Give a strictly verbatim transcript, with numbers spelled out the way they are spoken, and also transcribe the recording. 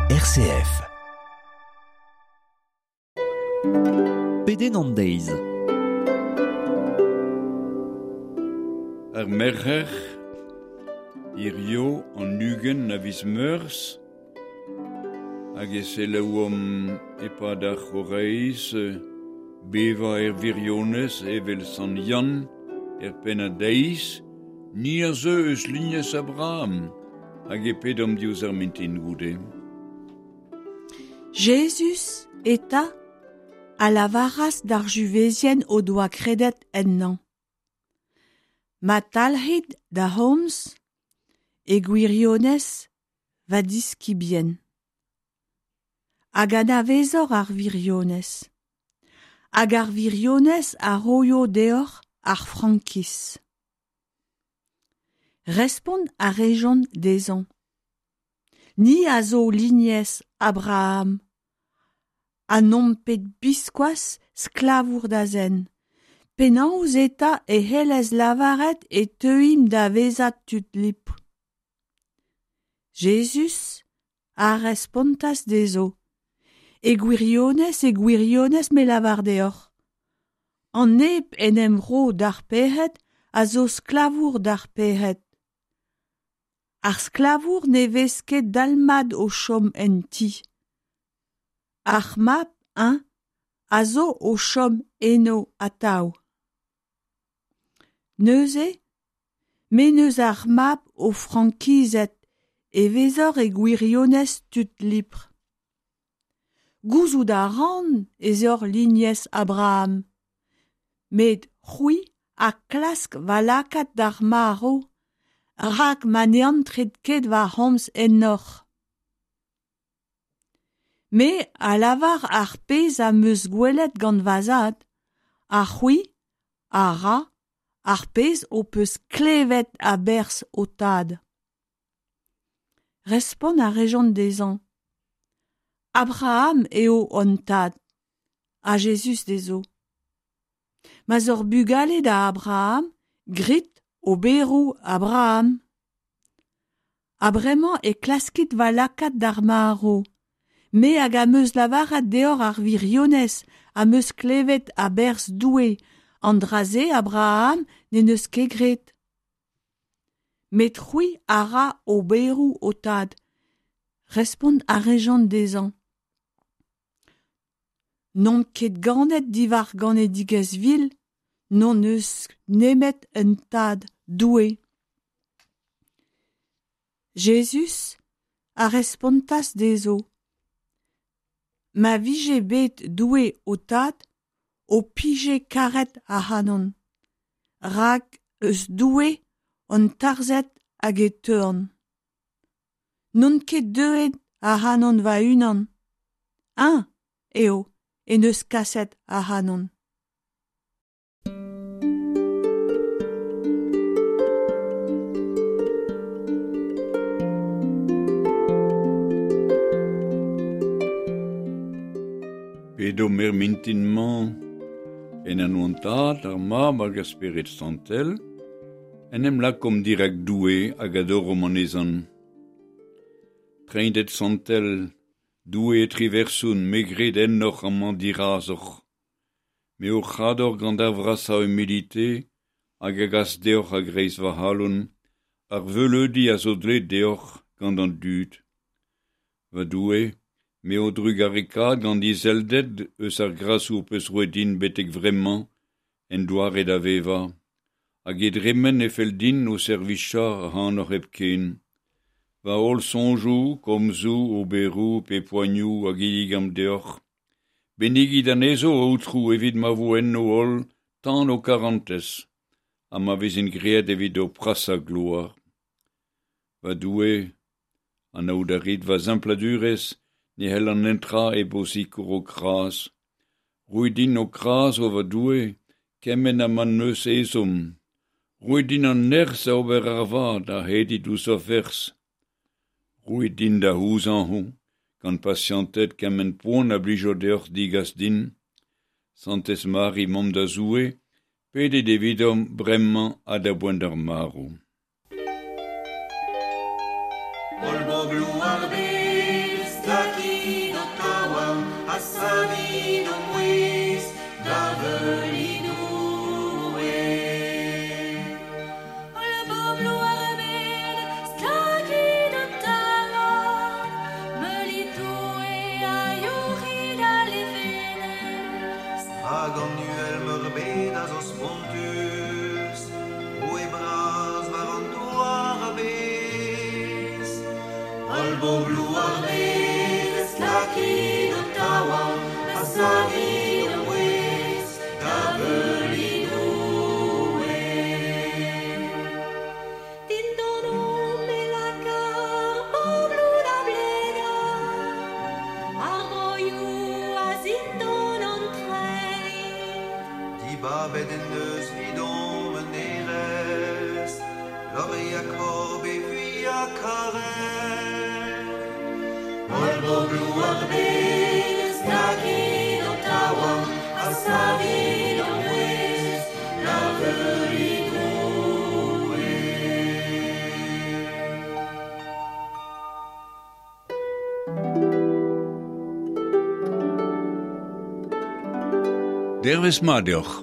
R C F. Pedenn an deiz. Ar merc'her, hirio an ugent a viz Meurzh, hag e selaouomp e-pad ar c'horaiz bevañ er wirionez evel Sant Yann er pennad deiz, ni a zeu eus lignez Abraham, hag e pedomp diouzh ar mintin goude. Jezuz eta a lavaras d'ar Juzevien o doa kredet ennañ. Ma talc'hit da'm c'homz, e gwirionez va diskibien. Hag anavezoc'h ar wirionez. Hag ar wirionez a roio deoc'h ar frankiz. Respont a rejont dezhañ. Ni a zo lignez Abraham, ha n'omp bet biskoazh sklavour da zen. Penaos eta e c'hellez lavaret e teuimp da vezañ tud libr? Jezuz a respontas dezho. E gwirionez, e gwirionez me lavar deoc'h. An neb en em ro d'ar pec'hed a zo sklavour d'ar pec'hed. Ar sklavour ne vez ket dalc'hmat o chom en ti. Ar mab, eñ, a zo o chom eno atav. Neuze, m'en deus ar mab ho frankizet e vezoc'h e gwirionez tud libr. Gouzout a ran ez oc'h lignez Abraham, met c'hwi a klask va lakaat d'ar marv, rak ma ne antret ket va c'homz ennoc'h. Me a lavar ar pezh am eus gwelet gant va zad, ha c'hwi a ra ar pezh ho peus klevet a-berzh ho tad. Respont a rejont dezhañ. Abraham eo hon tad, ha Jezuz dezho. Ma'z oc'h bugale da Abraham, grit oberoù Abraham. Ha bremañ e klaskit va lakaat d'ar marv. Me hag am eus lavaret deoc'h ar wirionez am eus klevet a-berzh Doue, an dra-se Abraham n'en deus ket graet. Met c'hwi a ra oberoù ho tad. Respont a rejont dezhañ. N'omp ket ganet diwar ganedigezh vil, n'hon eus nemet un tad, Doue. Jezuz a respontas dezho. Ma vije bet Doue ho tad, ho pije karet ac'hanon. Rak eus Doue on tarzhet hag e teuan. N'on ket deuet ac'hanon va-unan. Eñ eo en deus kaset ac'hanon. Pedomp er mintin-mañ en anv an Tad, ar Mab hag ar Spered Santel, en em lakomp dirak Doue hag adoromp anezhañ. Treinded Santel, Doue triversoun, me gred ennoc'h amañ dirazoc'h. Me hoc'h ador gant ar vrasañ humilite hag a gas deoc'h a-greiz va c'halon, ar veuleudi a zo dleet deoc'h gant an dud. Va Doue, me ho trugareka gant izelded eus ar grasoù ho peus roet din betek vremañ en doare da vevañ. Hag e dremen e fell din ho servijañ ac'hanoc'h hepken. Va holl soñjoù, komzoù, oberoù pe poanioù a ginnigan deoc'h. Bennigit anezho, Aotrou, evit ma vo enno holl tan ho karantez, ha ma vezint graet evit ho prasañ gloar. Va Doue, anaout a rit va sempladurezh, ne c'hellan netra hep ho sikour ho kras. Roit din ho kras, o va Doue, kement ha ma 'm eus ezhomm. Roit din an nerzh da ober ar vad ha hedit ouzh va ferzh. Roit din da c'houzañv gant pasianted kement poan a blijo deoc'h degas din. Santez Mari, mamm da Zoue, pedit evidomp bremañ ha da boent ar marv. Holl bobloù ar bed, Ha savit ho mouezh da veuliñ Doue. Holl bobloù ar bed, stlakit ho taouarn, meulit Doue ha youc'hit al levenez. Hag an uhel meurbet a zo spontus, Roue bras war an douar a-bezh. Holl bobloù ar bed, stlakit ho taouarn, ha savit ho mouezh da veuliñ Doue. Dindanomp e laka ar pobloù da blegañ, ar broioù a zindan an treid. Dibabet en deus 'vidomp un hêrezh, lore Jakob e vuiañ karet. Holl bobloù ar bed, stlakit ho taouarn, ha savit ho mouezh da veuliñ Doue. Dervezh mat deoc'h.